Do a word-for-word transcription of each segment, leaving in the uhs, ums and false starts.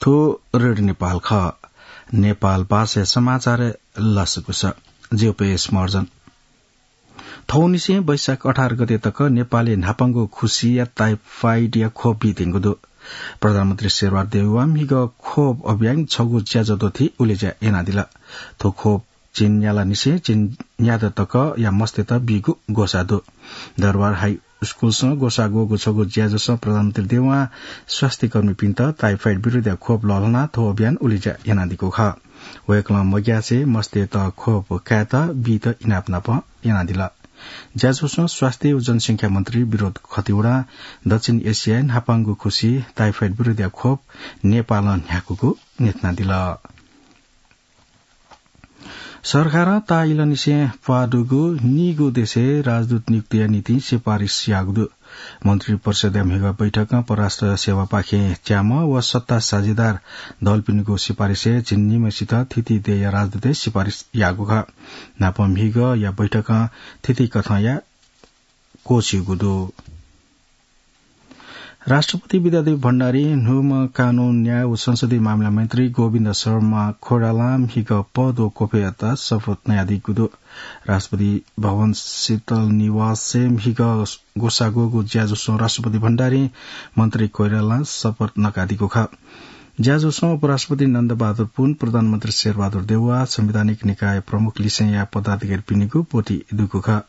रेडियो नेपाल खः। नेपाल भाषा समाचार लसकुस। ज्यू पेश मर्जन। थौंनिसें वैशाख अठार गते तक नेपालय् न्हापांगु खुसीया टाइफाइडया खोप बीत्यंगु दु। प्रधानमन्त्री शेरबहादुर देउवां म्हिगः खोप अभियान छगू ज्याझ्वः दथुइ उलेज्या यानादिल। थ्व खोप झिंन्यालानिसें झिंन्यादँ तकया मस्तय्त बीगु ग्वसाः दु। दरबार हाई स्कूलसं ग्वसाः ग्वःगु छगू ज्याझ्वलं प्रधानमन्त्री देउवां स्वास्थ्यकर्मीपिन्त टाइफाइड विरुद्धया खोप लःल्हानाः थ्व अभियान उलेज्या यानादीगु खः। वय्कलं मग्यासे मस्तय्त खोप कायेत बीत इनाप नाप यानादिल। ज्याझ्वलं स्वास्थ्य व जनसंख्या मन्त्री विनोद खतिवडां दक्षिण एसियाय् न्हापांगु खुसी टाइफाइड विरुद्धया खोप नेपालं न्ह्याकूगु न्ह्यथनादिल। सरकारं ताःइलंनिसें प्वाः दुगु नीगू देशय् राजदूत नियुक्तिया निंतिं सिफारिस याःगु दु। मन्त्री परिषदया म्हिगः बैठकं परराष्ट्र सेवापाखें च्याम्ह व सत्ता साझेदार दलपिनिगु सिफारिसय् झिंनिम्हसित थीथी देय्या राजदूतय् सिफारिस याःगु खः। न्हापा म्हिगःया बैठकं थीथी कथंया क्वःछिउगु दु। राष्ट्रपति विद्यादेवी भण्डारीं न्हूम्ह कानून, न्याय व संसदीय मामिला मन्त्री गोविन्द शर्मा कोइरालां म्हिगः पद व क्वफय्‌यात शपथ नयादीगु दु। राष्ट्रपति भवन शीतल निवासय् म्हिगः ग्वसाः ग्वःगु ज्याझ्वलं राष्ट्रपति भण्डारीं मन्त्री कोइरालां शपथ नकादीगु खः। ज्याझ्वलं उपराष्ट्रपति नन्दबहादुर पुन, प्रधानमन्त्री शेरबहादुर देउवा, संवैधानिक निकाय प्रमुख लिसेंया पदाधिकारीपिनिगु ब्वति दुगु खः।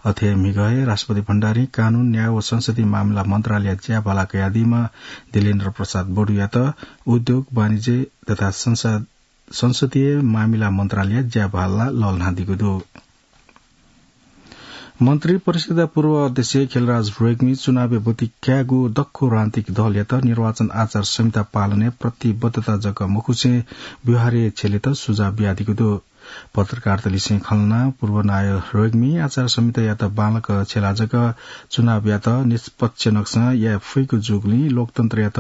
अथे म्हिगः हे राष्ट्रपति भण्डारीं कानून, न्याय व संसदीय मामिला मन्त्रालयया ज्याभाला कयादीम्ह दिलेन्द्र प्रसाद बडुयात उद्योग, वाणिज्य तथा संसा-, संसदीय मामिला मन्त्रालयया ज्याभाला लःल्हानादीगु दु। मन्त्री परिषदया पूर्व अध्यक्ष खिलराज रेग्मी चुनावय् ब्वति कायेगु दक्व राजनीतिक दलयात निर्वाचन आचार संहिता पालनय् प्रतिबद्धता जक मखुसें व्यवहारय् छ्यलेत सुझाव बियादीगु दु। पत्रकारतय्‌लिसें खँ ल्हानाः पूर्व नायः रेग्मीं आचार संहितायात बांलाक छ्यलाः जक चुनावयात निष्पक्ष नक्सं याये फइगु जूगुलिं लोकतन्त्रयात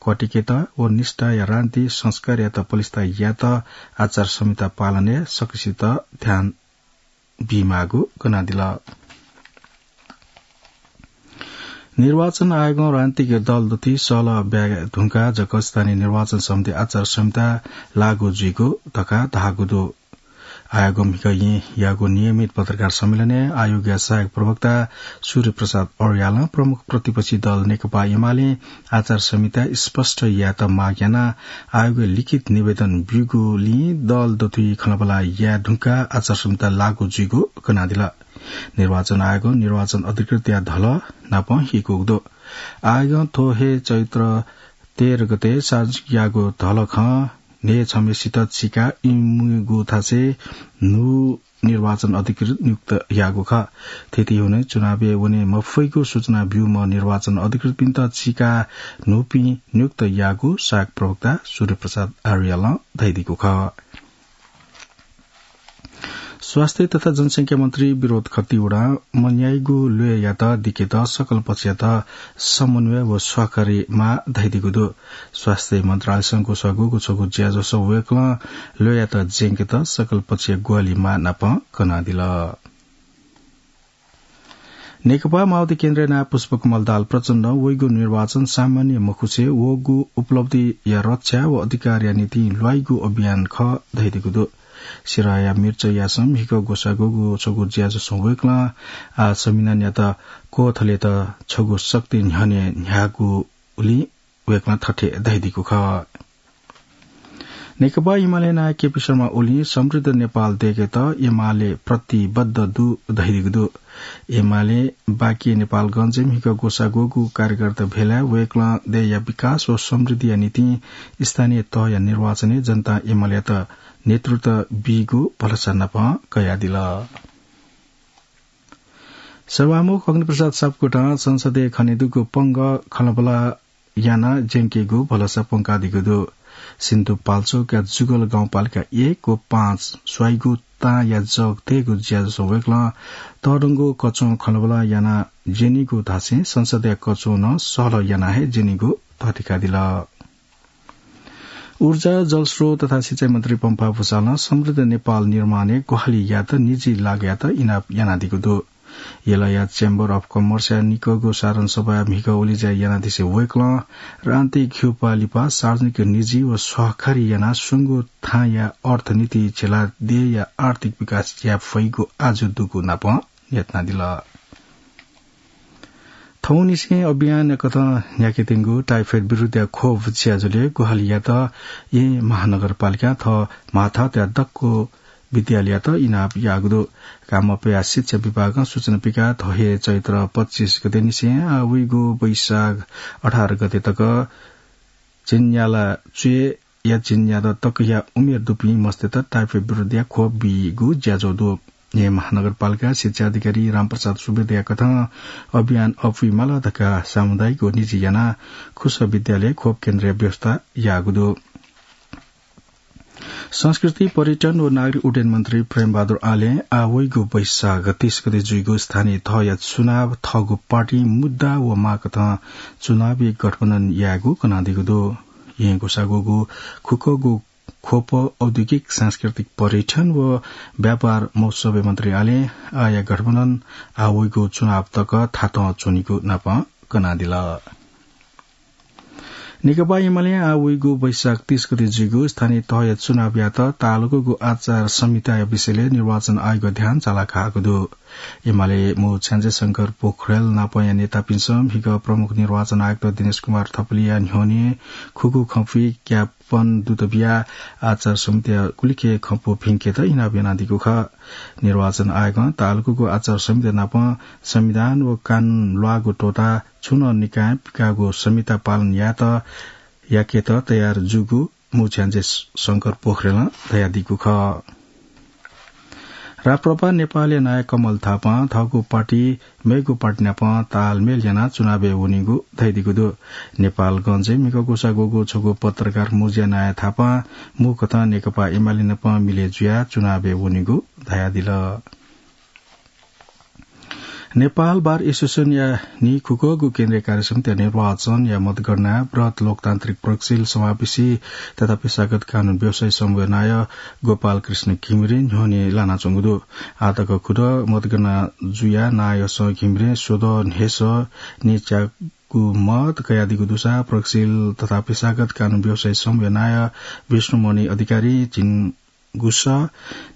क्वातिकेत व निष्ठाया राजनीतिक संस्कारयात पलिस्था यायेत आचार संहिता पालनय् सकसित ध्यान बीमाःगु कनादिल। निर्वाचन आयोगं राजनीतिक दल दथुइ सहलह ब्याये धुंकाः जक स्थानीय निर्वाचन सम्बन्धी आचार संहिता लागू जुइगु धकाः धाःगु दु। आयोगं म्हिगः येँयागु नियमित पत्रकार सम्मेलनय् आयोगया सहायक प्रवक्ता सूर्य प्रसाद अर्यालं प्रमुख प्रतिपक्षी दल नेकपा एमालें आचार संहिता स्पष्ट यायेत माग यानाः आयोगय् लिखित निवेदन ब्यूगुलिं दल दथुइ खँल्हाबल्हा याये धुंकाः आचार संहिता लागू जुइगु कनादिल। निर्वाचन आयोगं निर्वाचन अधिकृतया धलः नाप हीकूगु दु। आयोगं थ्व हे चैत्र तेह्र गते सार्वजनिक याःगु धलखं न्हय् छम्हेसित चिकाः इमिगु थासय् न्हू निर्वाचन अधिकृत नियुक्त याःगु खः। थथे हुने चुनावय् वने मफइगु सूचना ब्यूम्ह निर्वाचन अधिकृतपिन्त चिकाः न्हूपिं नियुक्त याःगु सहायक प्रवक्ता सूर्य प्रसाद आर्यालं धयादीगु खः। स्वास्थ्य तथा जनसंख्या मन्त्री विनोद खतिवडां मन्याइगु ल्वय्‌यात दिकेत सकल पक्षयात समन्वय व सहकारीमाः धयादीगु दु। स्वास्थ्य मन्त्रालयसं ग्वसाः ग्वःगु छगू ज्याझ्वलं वय्‌कलं ल्वय्‌यात ज्यंकेत सकल पक्षया ग्वाहालिमाः नाप कनादिल। नेकपा माओवादी केन्द्रया नायः पुष्पकमल दाहाल प्रचण्डं वइगु निर्वाचन सामान्य मखुसे वःगु उपलब्धिया रक्षा व अधिकारया निंतिं ल्वाइगु अभियान खः धयादीगु दु। सिराया मिर्चयासं म्हिगः ग्वसाः ग्वःगु छगू ज्याझ्वलं वय्‌कलं आः संविधानयात क्वथलेत छगू शक्ति न्ह्यःने न्ह्याःगुलिं वय्‌कलं थथे धयादीगु खः। नेकपा एमाले नायः केपी शर्मा ओलीं समृद्ध नेपाल दयेकेत एमाले प्रतिबद्ध दु धयादीगु दु। एमाले बाँके नेपालगञ्जय् म्हिगः ग्वसाः ग्वःगु कार्यकर्ता भेलाय् वय्‌कलं देय्‌या विकास व समृद्धिया निंतिं स्थानीय तहया निर्वाचनय् जनतां एमालेयात नेतृत्व बीगु भलसा नाप कयादिल। सभामुख अग्निप्रसाद सापकोटां संसदय् खनेदुगु पंगः खँल्हाबल्हा यानाः ज्यंकेगु भलसा प्वंकादीगु दु। सिन्धुपाल्चोकया जुगल गाउँपालिका एक व पाँच स्वाइगु तांया जग तयेगु ज्याझ्वलं वय्‌कलं तःधंगु कच्वं खँल्हाबल्हा यानाः ज्यनीगु धासें संसदया कच्वं नं सहलह यानाः हे ज्यनीगु तःधिकादिल। ऊर्जा, जलस्रोत तथा सिँचाइ मन्त्री पम्फा भूषालं समृद्ध नेपाल निर्माणय् ग्वाहालि यायेत निजी लागयात इनाप यानादीगु दु। यलया Chamber of Commerce या निकःगु साधारण सभाय् म्हिगः उलिज्या यानादिसे वय्कलं राजनीतिक घ्युपाः लिपा सार्वजनिक निजी व सहकारी यानाः स्वंगू थांया अर्थनीति झेला देय्‌या आर्थिक विकास याये फइगु आजु दुगु नापं न्ह्यथनादिल। थौंनिसें अभियान कथं न्ह्याकेत्यंगु टाइफोइड विरुद्धया खोप ज्याझ्वलय् ग्वाहालियात येँ महानगरपालिकां थः म्हाथातया दक्व विद्यालययात इनाप याःगु दु। कामपया शिक्षा विभागं सूचना पिकाः थ्व हे चैत्र पच्चिस गते निसें आः वइगु वैशाख अठार गते तक झिंन्याला च्वय् या झिंन्यादँ तकया उमेर दुपिं मस्तय्त टाइफोइड विरुद्धया खोप बीगु ज्याझ्वः दु। येँ महानगरपालिका शिक्षा अधिकारी रामप्रसाद सुवेदया कथं अभियान अप्वयेमाल धकाः सामुदायिक व निजी यानाः खुसः विद्यालय खोप केन्द्रया व्यवस्था याःगु दु। संस्कृति, पर्यटन व नागरिक उड्डयन मन्त्री प्रेमबहादुर आलें आः वइगु वैशाख तीस गते जुइगु स्थानीय तहया चुनाव थःगु पार्टी मुद्दा व माग कथं चुनावी गठबन्धन यायेगु कनादीगु दु। येँ ग्वसाःगुगु खुकःगु खोप औद्योगिक, सांस्कृतिक, पर्यटन व व्यापार महोत्सवय् मन्त्री आलें आःया गठबन्धन आः वइगु चुनाव तक थातं च्वनीगु नापं कनादिल। नेकपा एमालें आः वइगु वैशाख तीस गते जुइगु स्थानीय तहया चुनावयात ताःलाकूगु आचार संहिताया विषयलय् निर्वाचन आयोगया ध्यान चालाकाःगु दु। एमाले मू छ्याञ्जे शंकर पोखरेल नापंया नेतापिन्सं म्हिगः प्रमुख निर्वाचन आयुक्त दिनेश कुमार थपलिया न्ह्यःने खुगू खँपुइ ज्ञापन दूत बियाः आचार संहिताया गुलिखे खँपु भिंकेत इनाप यानादीगु खः। निर्वाचन आयोगं ताःलाकूगु आचार संहिता नाप संविधान व कानून ल्वाःगु त्वःताः छुं नं निकायं पिकाःगु संहिता पालन यायेत, याकेत तयार जूगु मू छ्याञ्जे शंकर पोखरेलं धयादीगु खः। राप्रपा नेपालया नायः कमल थापां थःगु पार्टी मेगु पार्टी नाप तालमेल यानाः चुनावय् वनीगु धयादीगु दु। नेपालगंजय् म्हिगः ग्वसाः ग्वःगु छगू पत्रकार मजिया नायः थापां मू कथं नेकपा एमाले नाप मिले जुयाः चुनावय् वनीगु धयादिल। नेपाल बार एसोसिएसनया नीखुकःगु केन्द्रीय कार्यसमितिया निर्वाचनया मतगणनाय् बृहत् लोकतान्त्रिक प्रगतिशील समावेशी तथा पेशागत कानून व्यवसायी समूहया नायः गोपाल कृष्ण घिमिरे न्ह्यःने लानाच्वंगु दु। आःतक खुदँ मतगणना जुयाः नायःसं घिमिरें स्वदँ न्हय्सः नीच्यागु मत कयादीगु दुसा प्रगतिशील तथा पेशागत कानून व्यवसायी समूहया नायः विष्णुमणि अधिकारी झिंगुसः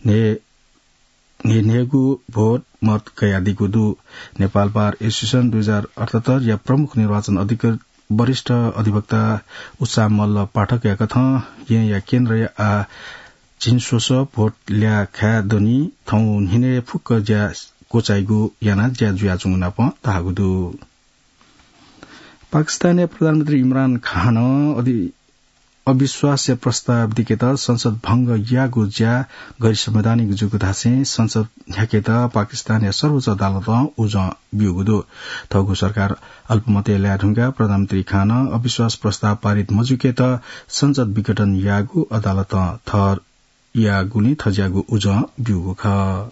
न्हय् न्हय्न्हय्गू भोट मत कयादीगु दु। नेपाल बार एसोसिएसन दुई हजार अठहत्तर या प्रमुख निर्वाचन अधिकृत वरिष्ठ अधिवक्ता उत्साह मल्ल पाठकया कथं येँया केन्द्रय् आः झिंस्वसः भोट ल्याः खाये दनि। थौं न्हिनय् फुक्क ज्या क्वचाइगु यानाः ज्या जुयाच्वंगु नाप धाःगु दु। पाकिस्तानया प्रधानमन्त्री इमरान खानं अधि-, अविश्वासया प्रस्ताव दिकेत संसद भंग याःगु ज्या गैरसंवैधानिक जूगु धासें संसद न्ह्याकेत पाकिस्तानया सर्वोच्च अदालतं उजं ब्यूगु दु। थःगु सरकार अल्पमतय् लाये धुंकाः प्रधानमन्त्री खानं अविश्वास प्रस्ताव पारित मजुकेत संसद विघटन याःगु अदालतं ठहर याःगुलिं थज्याःगु उजं ब्यूगु खः।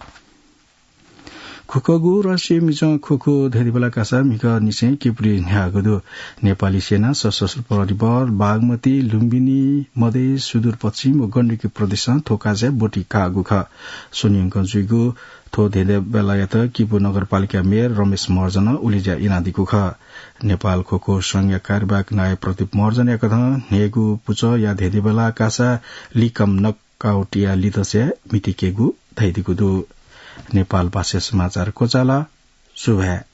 खुकःगु राष्ट्रिय मिजं ख्वख्वः धेधेबेला कासा म्हिगःनिसें किपुली न्ह्याःगु दु। नेपाली सेना, सशस्त्र प्रहरी बल, बागमती, लुम्बिनी, मधेस, सुदूरपश्चिम व गण्डकी प्रदेशं थ्व कासाय् ब्वति काःगु खः। स्वन्यंकं जुइगु थ्व धेधेबेलायात किपू नगरपालिका मेयर रमेश महर्जनं उलेज्या यानादीगु खः। नेपाल ख्वख्वः संघया कार्यवाहक नायः प्रदीप महर्जनया कथं न्हय्गू पुचःया धेधेबेला कासा लिकम नक काउटिया लितस्या मितिकेगु धयादीगु दु। नेपाल भाषा समाचार क्वचाल। सुभाय्।